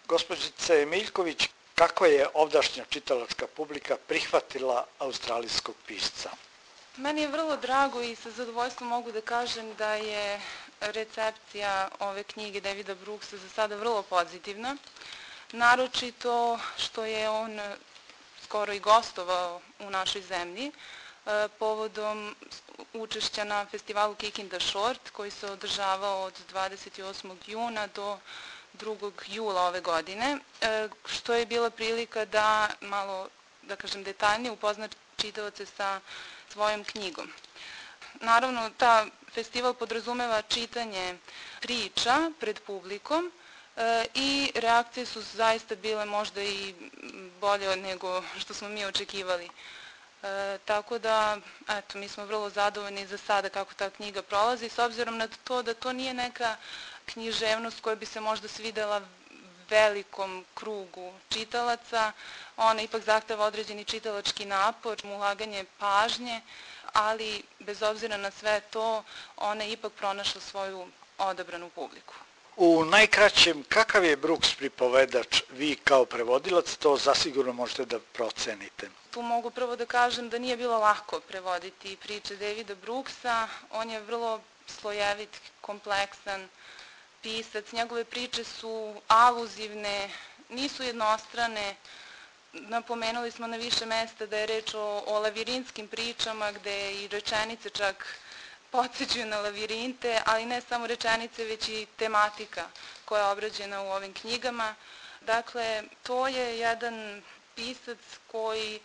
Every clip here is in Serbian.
Gospođice Miljković, kako je ovdašnja čitalačka publika prihvatila australijskog pisca? Meni je vrlo drago i sa zadovoljstvom mogu da kažem da je recepcija ove knjige Davida Brooksa za sada vrlo pozitivna. Naročito što je on skoro i gostovao u našoj zemlji povodom učešća na festivalu Kicking the Short koji se održavao od 28. juna do 2. jula ove godine, što je bila prilika da malo, da kažem, detaljnije upozna čitaoce sa svojom knjigom. Naravno, ta festival podrazumeva čitanje priča pred publikom i reakcije su zaista bile možda i bolje nego što smo mi očekivali. Tako da, eto, mi smo vrlo zadovoljni za sada kako ta knjiga prolazi, s obzirom na to da to nije neka književnost koja bi se možda svidela velikom krugu čitalaca. Ona ipak zahteva određeni čitalački napor, ulaganje pažnje, ali bez obzira na sve to, ona je ipak pronašla svoju odabranu publiku. U najkraćem, kakav je Brooks pripovedač? Vi kao prevodilac to zasigurno možete da procenite. Tu mogu prvo da kažem da nije bilo lako prevoditi priče Davida Brooksa. On je vrlo slojevit, kompleksan pisac. Njegove priče su aluzivne, nisu jednostrane. Napomenuli smo na više mesta da je reč o lavirinskim pričama gde i rečenice čak podsjećaju na lavirinte, ali ne samo rečenice, već i tematika koja je obrađena u ovim knjigama. Dakle, to je jedan pisac koji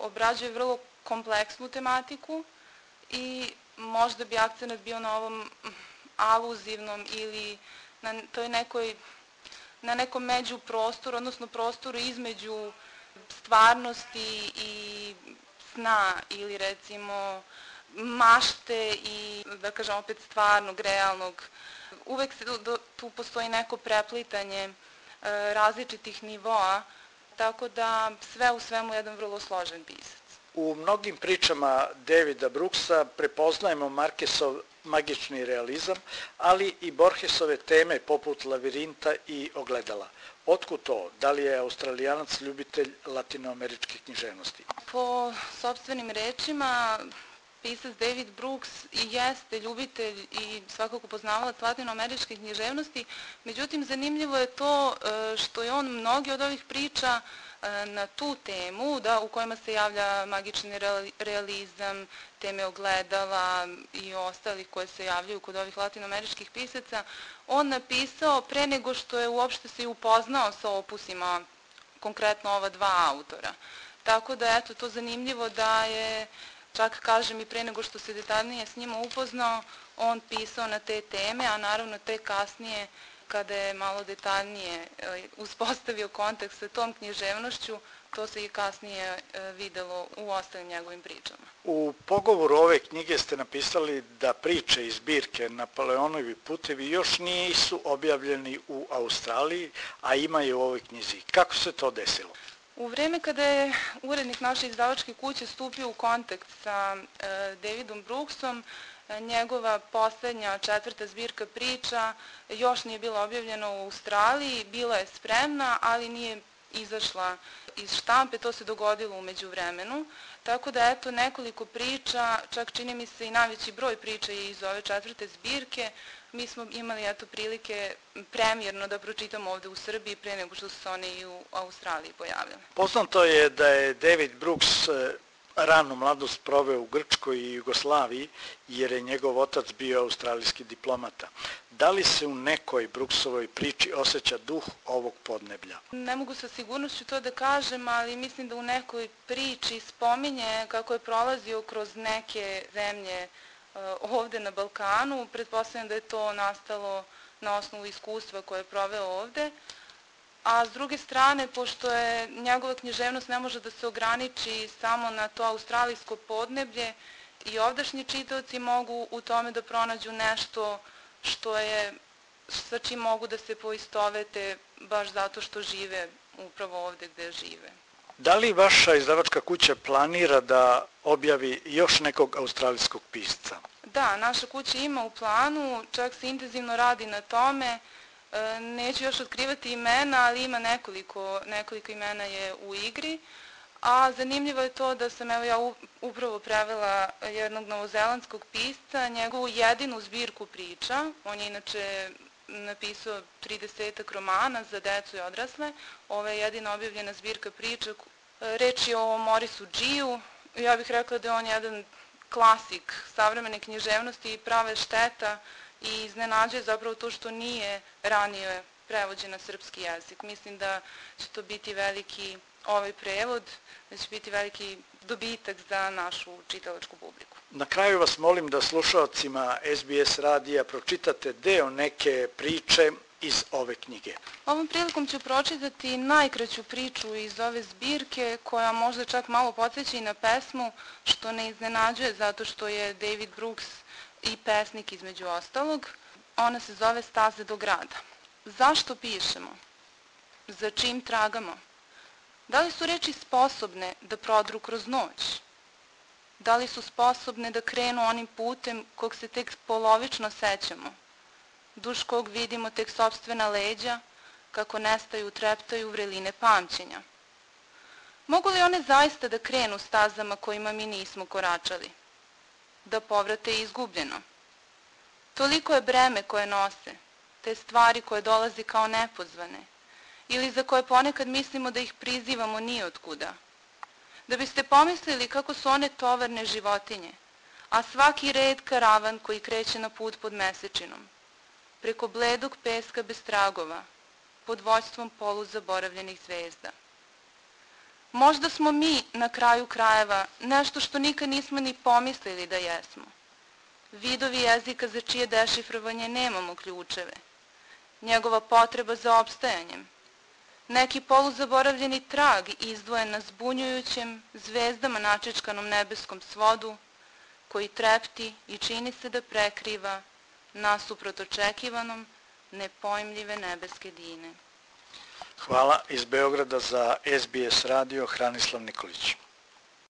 obrađuje vrlo kompleksnu tematiku i možda bi akcenat bio na ovom aluzivnom ili na nekom međuprostoru, odnosno prostoru između stvarnosti i sna ili recimo mašte i, da kažem, opet stvarnog, realnog. Uvek tu postoji neko preplitanje različitih nivoa, tako da sve u svemu jedan vrlo složen pisac. U mnogim pričama Davida Brooksa prepoznajemo Marquesov magični realizam, ali i Borgesove teme poput lavirinta i ogledala. Otkud to? Da li je Australijanac ljubitelj latinoameričke književnosti? Po sopstvenim rečima, pisac David Brooks i jeste ljubitelj i svakako poznavalac latinoameričke književnosti, međutim zanimljivo je to što je on mnogi od ovih priča na tu temu, u kojima se javlja magični realizam, teme ogledala i ostalih koje se javljaju kod ovih latinoameričkih pisaca, on napisao pre nego što je uopšte se i upoznao sa opusima, konkretno ova dva autora. Tako da, eto, to zanimljivo da je, čak kažem, i pre nego što se detaljnije s njima upoznao, on pisao na te teme, a naravno te kasnije, kada je malo detaljnije uspostavio kontakt sa tom književnošću, to se i kasnije videlo u ostalim njegovim pričama. U pogovoru ove knjige ste napisali da priče iz zbirke Napoleonovi putevi još nisu objavljeni u Australiji, a ima je u ovoj knjizi. Kako se to desilo? U vreme kada je urednik naše izdavačke kuće stupio u kontakt sa Davidom Brooksom, njegova poslednja 4. zbirka priča još nije bila objavljena u Australiji, bila je spremna, ali nije izašla iz štampe, to se dogodilo u međuvremenu. Tako da, eto, nekoliko priča, čak čini mi se i najveći broj priča je iz ove 4. zbirke, mi smo imali, eto, prilike premijerno da pročitamo ovde u Srbiji pre nego što su se one i u Australiji pojavljale. Poznato je da je David Brooks ranu mladost proveo u Grčkoj i Jugoslaviji, jer je njegov otac bio australijski diplomata. Da li se u nekoj Brooksovoj priči osjeća duh ovog podneblja? Ne mogu sa sigurnošću to da kažem, ali mislim da u nekoj priči spominje kako je prolazio kroz neke zemlje ovde na Balkanu. Pretpostavljam da je to nastalo na osnovu iskustva koje je proveo ovde. A s druge strane, pošto je njegova književnost ne može da se ograniči samo na to australijsko podneblje, i ovdašnji čitaoci mogu u tome da pronađu nešto sa čim mogu da se poistovete baš zato što žive upravo ovde gde žive. Da li vaša izdavačka kuća planira da objavi još nekog australijskog pisca? Da, naša kuća ima u planu, čak se intenzivno radi na tome. Neću još otkrivati imena, ali ima nekoliko imena je u igri. A zanimljivo je to da sam ja upravo prevela jednog novozelandskog pisca, njegovu jedinu zbirku priča. On je inače napisao 30 romana za decu i odrasle. Ovo je jedina objavljena zbirka priča. Reč je o Maurisu Giju. Ja bih rekla da je on jedan klasik savremene književnosti i prava šteta i iznenađuje zapravo to što nije ranije prevođen na srpski jezik. Mislim da će to biti veliki ovaj prevod, da će biti veliki dobitak za našu čitalačku publiku. Na kraju vas molim da slušaocima SBS radija pročitate deo neke priče iz ove knjige. Ovom prilikom ću pročitati najkraću priču iz ove zbirke, koja možda čak malo podsjeća i na pesmu, što ne iznenađuje zato što je David Brooks i pesnik između ostalog. Ona se zove Staze do grada. Zašto pišemo? Za čim tragamo? Da li su reči sposobne da prodru kroz noć? Da li su sposobne da krenu onim putem kog se tek polovično sećamo? Duž kog vidimo tek sopstvena leđa, kako nestaju, treptaju vreline pamćenja. Mogu li one zaista da krenu stazama kojima mi nismo koračali? Da povrate izgubljeno? Toliko je breme koje nose, te stvari koje dolaze kao nepozvane, ili za koje ponekad mislimo da ih prizivamo nijotkuda. Da biste pomislili kako su one tovarne životinje, a svaki red karavan koji kreće na put pod mesečinom, preko bledog peska bez tragova, pod vođstvom poluzaboravljenih zvezda. Možda smo mi, na kraju krajeva, nešto što nikad nismo ni pomislili da jesmo. Vidovi jezika za čije dešifrovanje nemamo ključeve. Njegova potreba za opstajanjem. Neki poluzaboravljeni trag izdvojen na zbunjujućem, zvezdama načečkanom nebeskom svodu, koji trepti i čini se da prekriva nasuprot očekivanom nepojmljive nebeske dine. Hvala. Iz Beograda za SBS radio Hranislav Nikolić.